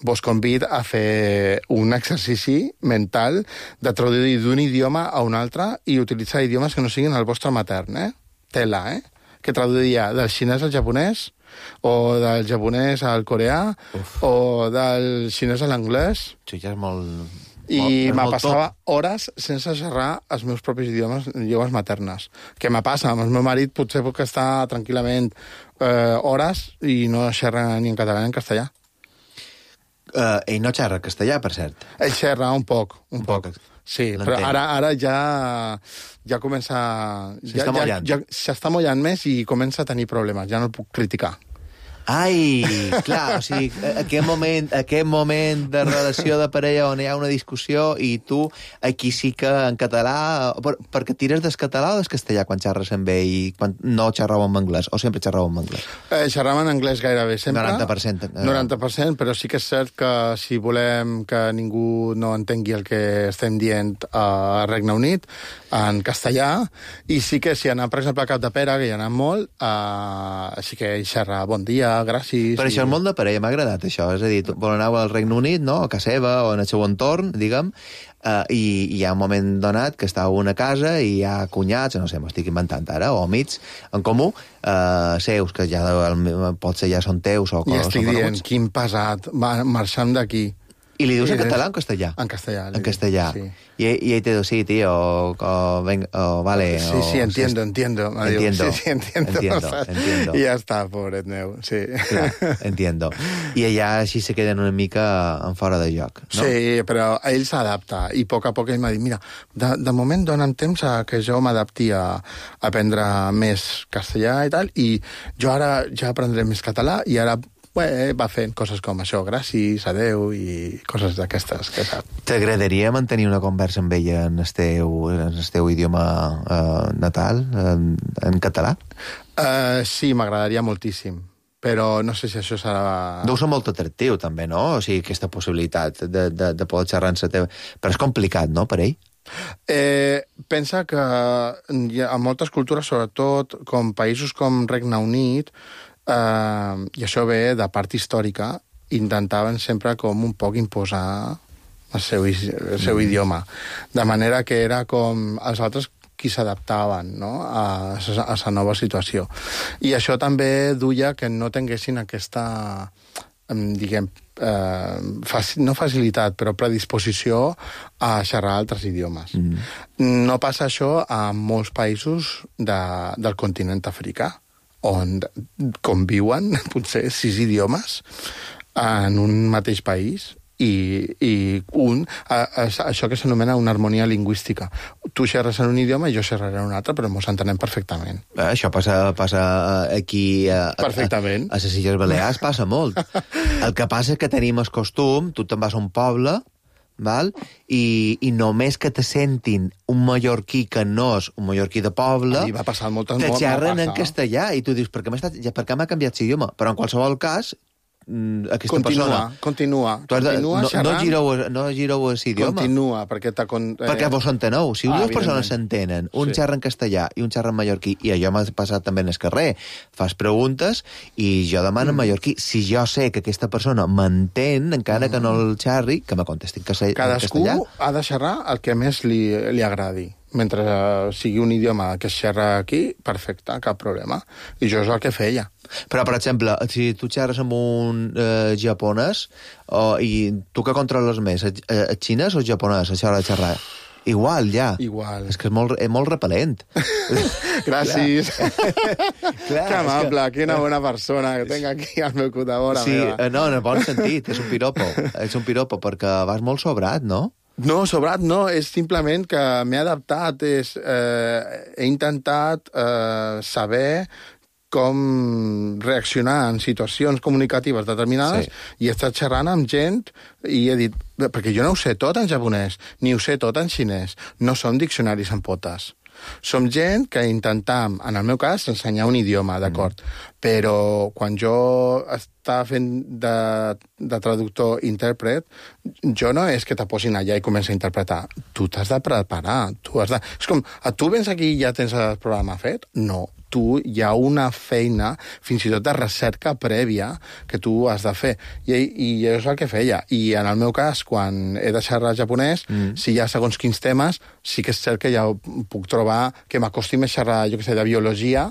vos convid a fer un exercici mental de traduir d'un idioma a un altre i utilitzar idiomes que no siguin el vostre matern, eh? Tela, eh? Que traduiria del xinès al japonès, o del japonès al coreà, Uf. o del xinès a l'anglès. Sí, ja és molt... I Oh, me molt passava hores sense xerrar els meus propis idiomes, idiomes maternes. Què me passa? Amb el meu marit potser puc estar tranquil·lament eh, hores i no xerra ni en català ni en castellà. Uh, ell no xerra castellà, per cert. Ell xerra un poc, un, un poc. poc. Sí, però ara, ara ja, ja comença... S'està ja, mollant. Ja, ja, s'està mollant més i comença a tenir problemes, ja no el puc criticar. Ai, clar, o sigui, aquest moment, aquest moment de relació de parella on hi ha una discussió i tu aquí sí que en català... Per, perquè tires des català o des castellà quan xerres amb ell i quan no xerrau en anglès? O sempre xerrau en anglès? Eh, xerram en anglès gairebé sempre. noranta per cent. Eh. noranta per cent, però sí que és cert que si volem que ningú no entengui el que estem dient a Regne Unit, en castellà, i sí que si anem, per exemple, a Cap de Pere, que hi ha anat molt, eh, sí que ell xerra bon dia, gràcies... Per això i... el món de parella m'ha agradat, això. És a dir, vol anar al Regne Unit, no?, a casa seva o en el seu entorn, diguem, uh, i, i hi ha un moment donat que està a una casa i hi ha cunyats, no sé, m'ho estic inventant ara, o amics en comú, uh, seus, que ja potser ja són teus o... I estic dient, coneguts. quin pesat, va, marxem d'aquí. I li dius I en català des... o en castellà? En castellà. En castellà. Sí. I, i ell te diu, sí, tío, o, o, ven, o vale... Sí, sí, o, entiendo, sí, entiendo. Me entiendo, diu, sí, sí, entiendo. entiendo, entiendo. I ja està, pobret meu, sí. Clar, entiendo. I allà així se queden una mica en fora de joc, no? Sí, però ell s'adapta, i a poc a poc ell m'ha dit, mira, de, de moment dona'm temps a que jo m'adapti a, a aprendre més castellà i tal, i jo ara ja aprendré més català, i ara Bé, va fent coses com això, gràcies, adeu, i coses d'aquestes, que sap. T'agradaria mantenir una conversa amb ella en el teu, en el teu idioma eh, natal, en, en català? Uh, sí, m'agradaria moltíssim, però no sé si això serà... Deu ser molt atractiu, també, no? O sigui, aquesta possibilitat de, de, de poder xerrar en la teva... Però és complicat, no, per ell? Eh, pensa que hi ha moltes cultures, sobretot com països com Regne Unit, Uh, i això ve de part històrica, intentaven sempre com un poc imposar el seu, el seu mm. idioma, de manera que era com els altres qui s'adaptaven, no?, a la nova situació. I això també duia que no tinguessin aquesta, diguem, eh, faci, no facilitat, però predisposició a xerrar altres idiomes. Mm. No passa això a molts països de, del continent africà, on conviuen potser sis idiomes en un mateix país i, i un, a, a, això que s'anomena una harmonia lingüística. Tu xerres en un idioma i jo xerraré en un altre, però mos entenem perfectament. Eh, això passa, passa aquí a, perfectament. a, a, a les Illes Balears passa molt. El que passa és que tenim el costum, tu te'n vas a un poble, val? I, i només que te sentin un mallorquí que no és un mallorquí de poble, va passar moltes, te molt, xerren en castellà i tu dius, per què m'ha canviat l'idioma? Però en qualsevol cas, aquesta continua, persona... Continua, continua, de, no, xerrant. No gireu, no gireu l'idioma. Continua, perquè... Con, eh... Perquè vos enteneu. Si ah, dues persones s'entenen, un sí. xerra en castellà i un xerra en mallorquí, i allò m'ha passat també en el carrer, fas preguntes i jo demano mm. en mallorquí. Si jo sé que aquesta persona m'entén, encara mm. que no el xerri, que me contesti en castellà. Cadascú ha de xerrar el que més li, li agradi. Mentre uh, sigui un idioma que es xerra aquí, perfecte, cap problema. I jo és el que feia. Però, per exemple, si tu xerres amb un eh, japonès, o, i tu que controles més, el, el xinès o el japonès, això de xerrar? Igual, ja. Igual. És que és molt, és molt repel·lent. Gràcies. Clar, que amable, que... quina bona persona que tinc aquí al meu cotavora. Sí, meva. no, en el bon sentit, és un piropo. És un piropo, perquè vas molt sobrat, no? No, sobrat no, és simplement que m'he adaptat, és, eh, he intentat eh, saber com reaccionar en situacions comunicatives determinades, sí. I he estat xerrant amb gent i he dit, perquè jo no ho sé tot en japonès, ni ho sé tot en xinès, no som diccionaris en potes. Som gent que intentam, en el meu cas, ensenyar un idioma, d'acord, mm. però quan jo estava fent de, de traductor-intèrpret, jo no és que te posin allà i comenci a interpretar. Tu t'has de preparar. Tu has de... És com, tu vens aquí i ja tens el programa fet? No. Tu hi ha una feina, fins i tot de recerca prèvia, que tu has de fer. I, i és el que feia. I en el meu cas, quan he de xerrar japonès, mm. si hi ha segons quins temes, sí que és cert que ja puc trobar que m'acosti més xerrar, jo què sé, de biologia,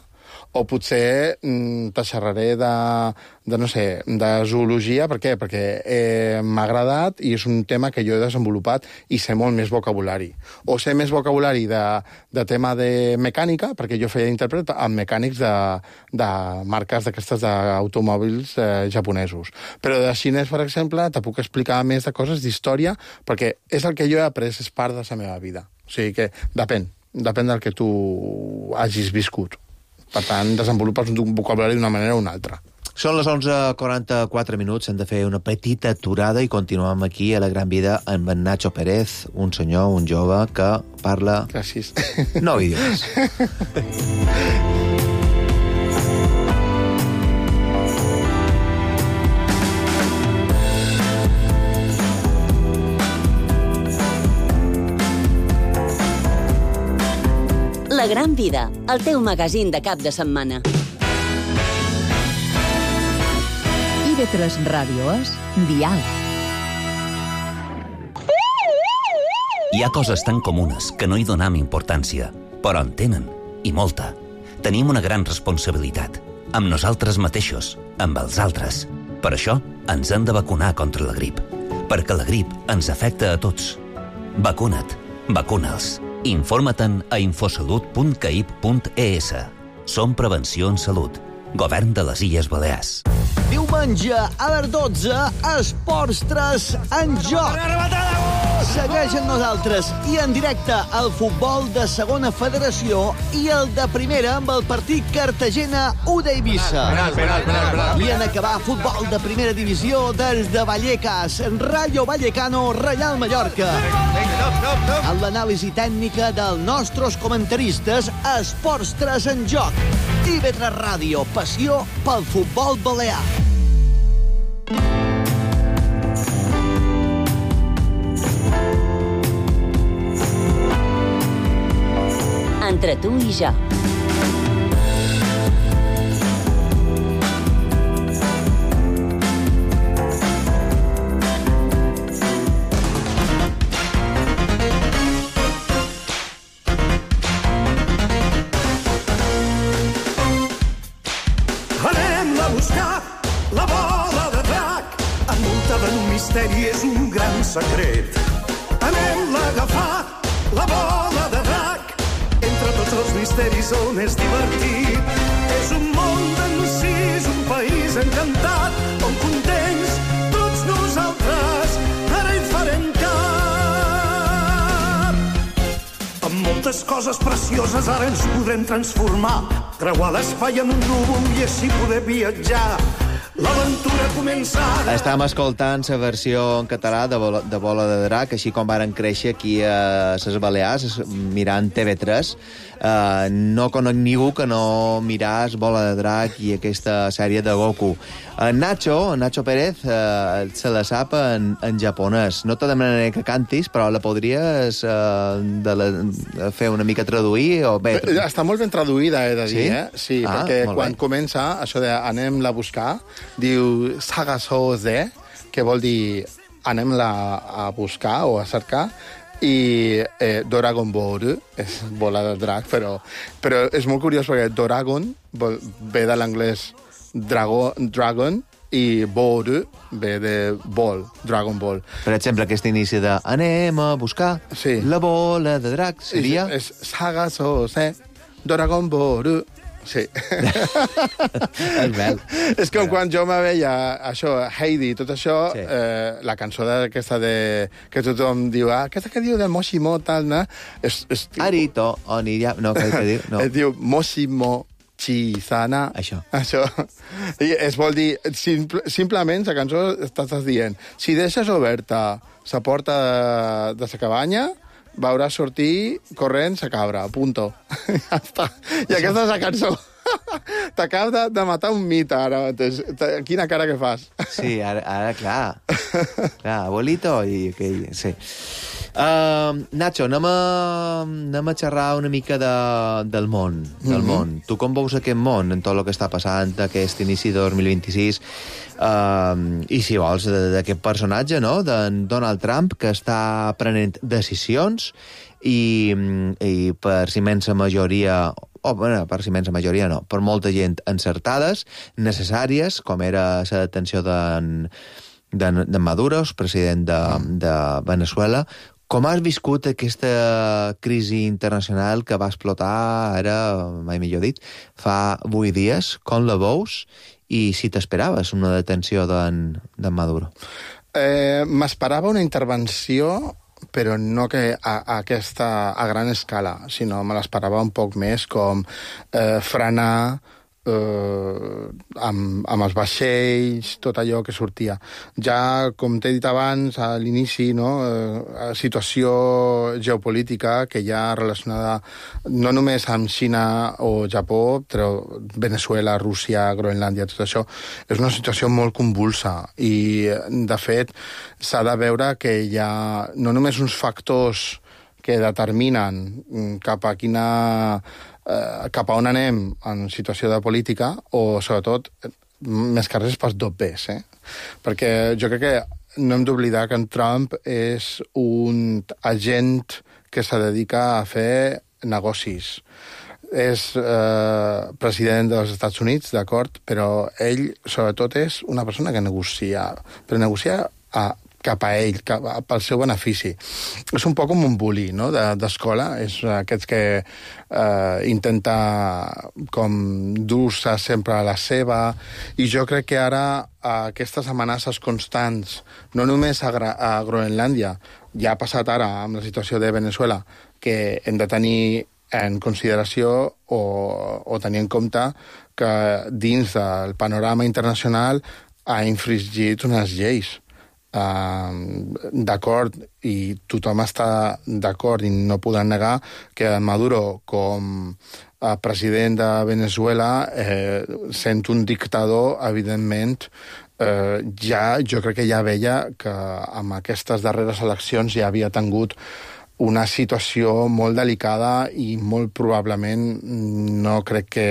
O potser mm, te xerraré de, de, no sé, de zoologia. Per què? Perquè eh, m'ha agradat i és un tema que jo he desenvolupat i sé molt més vocabulari. O sé més vocabulari de, de tema de mecànica, perquè jo feia intèrpret amb mecànics de, de marques d'aquestes d'automòbils eh, japonesos. Però de xinès, per exemple, te puc explicar més de coses d'història, perquè és el que jo he après, és part de la meva vida. O sigui que depèn, depèn del que tu hagis viscut. Per tant, desenvolupes un vocabulari d'una manera o una altra. Són les onze quaranta-quatre minuts, hem de fer una petita aturada i continuem aquí a La Gran Vida amb en Nacho Pérez, un senyor, un jove que parla... Gràcies. Nou idiomes. La Gran Vida, el teu magazín de cap de setmana. I ve tres Ràdio és Dial. Hi ha coses tan comunes que no hi donam importància, però en tenen, i molta. Tenim una gran responsabilitat, amb nosaltres mateixos, amb els altres. Per això ens hem de vacunar contra la grip, perquè la grip ens afecta a tots. Vacuna't, vacuna'ls. Informa-te'n a infosalut punt caip punt es. Som Prevenció en Salut. Govern de les Illes Balears. Diumenge a les dotze, Esports tres en joc. Segueix amb nosaltres i en directe el futbol de segona federació i el de primera amb el partit Cartagena-U de Eivissa. I en acabar futbol de primera divisió des de Vallecas, Rayo Vallecano, Reial Mallorca. Amb l'anàlisi tècnica dels nostres comentaristes, Esports tres en joc. I ve tres Ràdio, passió pel futbol balear. Entre tu i jo. Anem-la a buscar, la bola de drac, envoltada en un misteri, és un gran secret. Anem-la a agafar, la bola de drac, entre tots els misteris on és divertit. És un món d'encís, un país encantat, on contents tots nosaltres ara hi farem cap. Amb moltes coses precioses ara ens podrem transformar, creuar l'espai amb un núvol i així poder viatjar. L'aventura comença ara. Estàvem escoltant la versió en català de Bola, de Bola de Drac, així com varen créixer aquí a les Balears, mirant T V tres. Uh, no conec ningú que no miràs Bola de Drac i aquesta sèrie de Goku. Uh, Nacho, Nacho Pérez, uh, se la sap en, en japonès. No te demanaré que cantis, però la podries uh, de la, fer una mica traduir? O bé... Està molt ben traduïda, he de dir, sí? eh? Sí, ah, perquè quan bé. comença això de anem-la a buscar, diu Sagasoze, que vol dir anem-la a buscar o a cercar, i eh, Dragon Ball és bola de drac, però, però és molt curiós perquè Dragon vol, ve de l'anglès drago, dragon i Ball ve de ball, Dragon Ball. Per exemple, aquest inici de anem a buscar sí. la bola de drac seria... És, és Sagasoze, Dragon Ball... Sí. És bel. És com quan jo me veia això, Heidi, tot això, sí. eh, la cançó d'aquesta de... que tothom diu, ah, aquesta que diu del Moshimo, tal, no? És, és, Arito, Oniria... No, què diu? No. Es diu Moshimo Chisana. Això. Això. I es vol dir, simple, simplement, la cançó estàs dient, si deixes oberta la porta de, de la cabanya, veuràs sortir corrent sa cabra, punto. Ja està. I aquesta és la cançó. T'acabes de, de matar un mite, ara mateix. Quina cara que fas. Sí, ara, ara clar. Clar, abuelito i aquell... Sí. Uh, Nacho, anem a, anem a xerrar una mica de, del món. Del mm-hmm. món. Tu com veus aquest món en tot el que està passant, aquest inici de dos mil vint-i-sis? Uh, I si vols, d'aquest personatge, no?, d'en Donald Trump, que està prenent decisions i, i per immensa majoria o bueno, per si menys la majoria no, per molta gent encertades, necessàries, com era la detenció d'en de, de Maduro, president de, de Venezuela. Com has viscut aquesta crisi internacional que va explotar, ara, mai millor dit, fa vuit dies? Com la veus? I si t'esperaves una detenció d'en de Maduro? Eh, M'esperava una intervenció, però no que a, a aquesta a gran escala, sinó me l'esperava un poc més com eh, frenar eh, amb, amb els vaixells, tot allò que sortia. Ja, com t'he dit abans, a l'inici, no, eh, situació geopolítica que ja relacionada no només amb Xina o Japó, però Venezuela, Rússia, Groenlàndia, tot això, és una situació molt convulsa i, de fet, s'ha de veure que hi ha no només uns factors que determinen cap a quina eh, cap a on anem en situació de política, o sobretot més que res pels dobbers, eh? Perquè jo crec que no hem d'oblidar que en Trump és un agent que se dedica a fer negocis. És eh, president dels Estats Units, d'acord, però ell sobretot és una persona que negocia, però negocia a cap a ell, cap a, pel seu benefici. És un poc com un bully, no?, d'escola. De, és aquests que eh, intenta com dur-se sempre a la seva, i jo crec que ara aquestes amenaces constants, no només a, a Groenlàndia, ja ha passat ara amb la situació de Venezuela, que hem de tenir en consideració o, o tenir en compte que dins del panorama internacional ha infringit unes lleis. Uh, d'acord, i tothom està d'acord i no podran negar que Maduro, com a president de Venezuela, eh, sent un dictador, evidentment, eh, ja, jo crec que ja veia que amb aquestes darreres eleccions ja havia tingut una situació molt delicada i molt probablement no crec que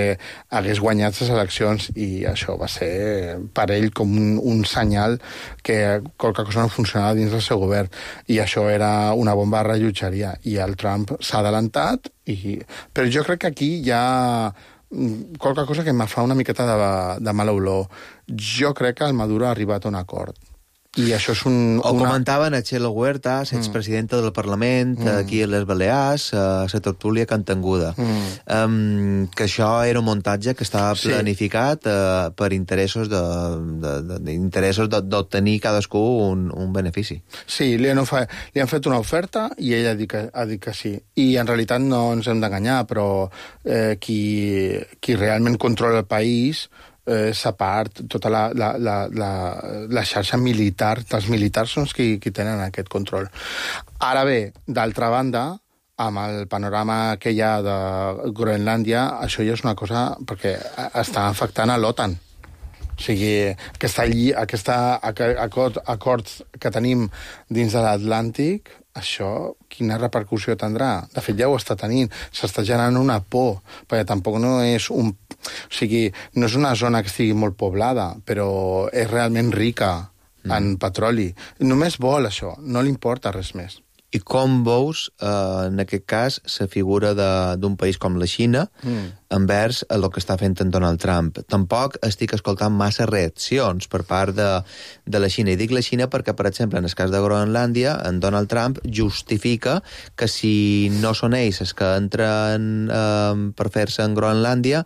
hagués guanyat les eleccions, i això va ser per ell com un, un senyal que qualque cosa no funcionava dins del seu govern, i això era una bomba de rellotgeria, i el Trump s'ha adelantat, i... però jo crec que aquí hi ha qualque cosa que em fa una miqueta de, de mala olor. Jo crec que el Maduro ha arribat a un acord. I això és un... O una... comentaven a Txelo Huertas, expresidenta del Parlament, mm. aquí a les Balears, a la tertúlia cantanguda, mm. um, que això era un muntatge que estava planificat sí. uh, per interessos de, de, de, de interessos d'obtenir cadascú un, un benefici. Sí, li han, ofer... li han fet una oferta i ell ha dit que, ha dit que sí. I en realitat no ens hem d'enganyar, però eh, qui, qui realment controla el país... Eh, s'ha part tota la, la, la, la, la xarxa militar, els militars són els qui, qui tenen aquest control. Ara bé, d'altra banda, amb el panorama que hi ha de Groenlàndia, això ja és una cosa perquè està afectant a l'OTAN. O sigui, aquesta, aquesta acord, acords que tenim dins de l'Atlàntic, això quina repercussió tindrà? De fet, ja ho està tenint. S'està generant una por, perquè tampoc no és un... O sigui, no és una zona que estigui molt poblada, però és realment rica mm. en petroli. Només vol això, no li importa res més. I com veus, eh, en aquest cas, la figura d'un país com la Xina mm. envers el que està fent en Donald Trump? Tampoc estic escoltant massa reaccions per part de, de la Xina. I dic la Xina perquè, per exemple, en el cas de Groenlàndia, en Donald Trump justifica que si no són ells els que entren eh, per fer-se en Groenlàndia,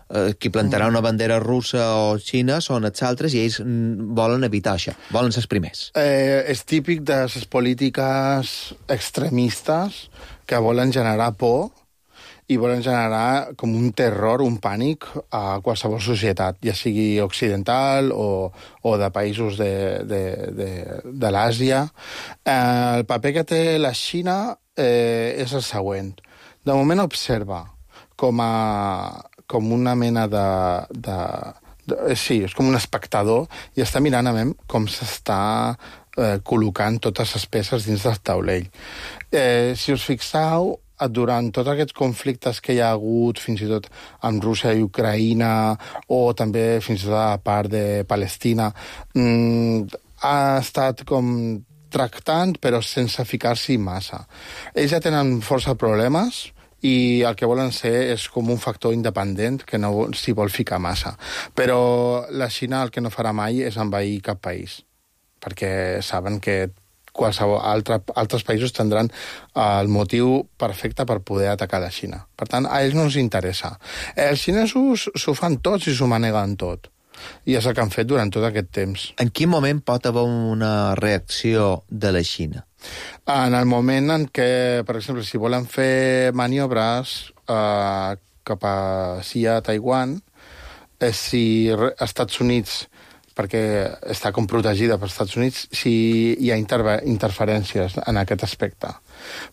eh, qui plantarà una bandera russa o xina són els altres, i ells volen evitar això, volen ser els primers. Eh, és típic de les polítiques extremistes que volen generar por i volen generar com un terror, un pànic a qualsevol societat, ja sigui occidental o, o de països de, de, de, de l'Àsia. Eh, el paper que té la Xina eh, és el següent. De moment observa com a com una mena de, de, de... Sí, és com un espectador i està mirant a veure com s'està eh, col·locant totes les peces dins del taulell. Eh, si us fixeu, durant tots aquests conflictes que hi ha hagut, fins i tot amb Rússia i Ucraïna, o també fins i tot a la part de Palestina, mmm, ha estat com tractant, però sense ficar-s'hi massa. Ells ja tenen força problemes, i el que volen ser és com un factor independent que no s'hi vol ficar massa. Però la Xina el que no farà mai és envair cap país, perquè saben que qualsevol altre, altres països tindran el motiu perfecte per poder atacar la Xina. Per tant, a ells no els interessa. Els xinesos s'ho fan tots i s'ho maneguen tot. I és el que han fet durant tot aquest temps. En quin moment pot haver una reacció de la Xina? En el moment en què, per exemple, si volen fer maniobres eh, cap a Sia, Taiwan, eh, si Estats Units, perquè està com protegida per Estats Units, si hi ha interve- interferències en aquest aspecte.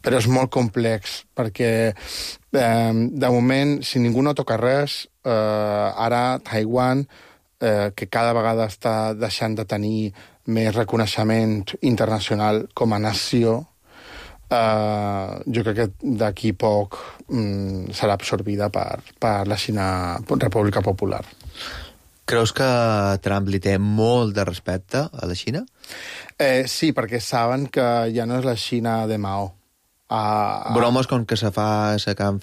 Però és molt complex, perquè eh, de moment, si ningú no toca res, eh, ara Taiwan, eh, que cada vegada està deixant de tenir més reconeixement internacional com a nació, eh, jo crec que d'aquí poc mm, serà absorbida per, per la Xina República Popular. Creus que Trump li té molt de respecte a la Xina? Eh, sí, perquè saben que ja no és la Xina de Mao. Uh, Bromes com que se fa, se que han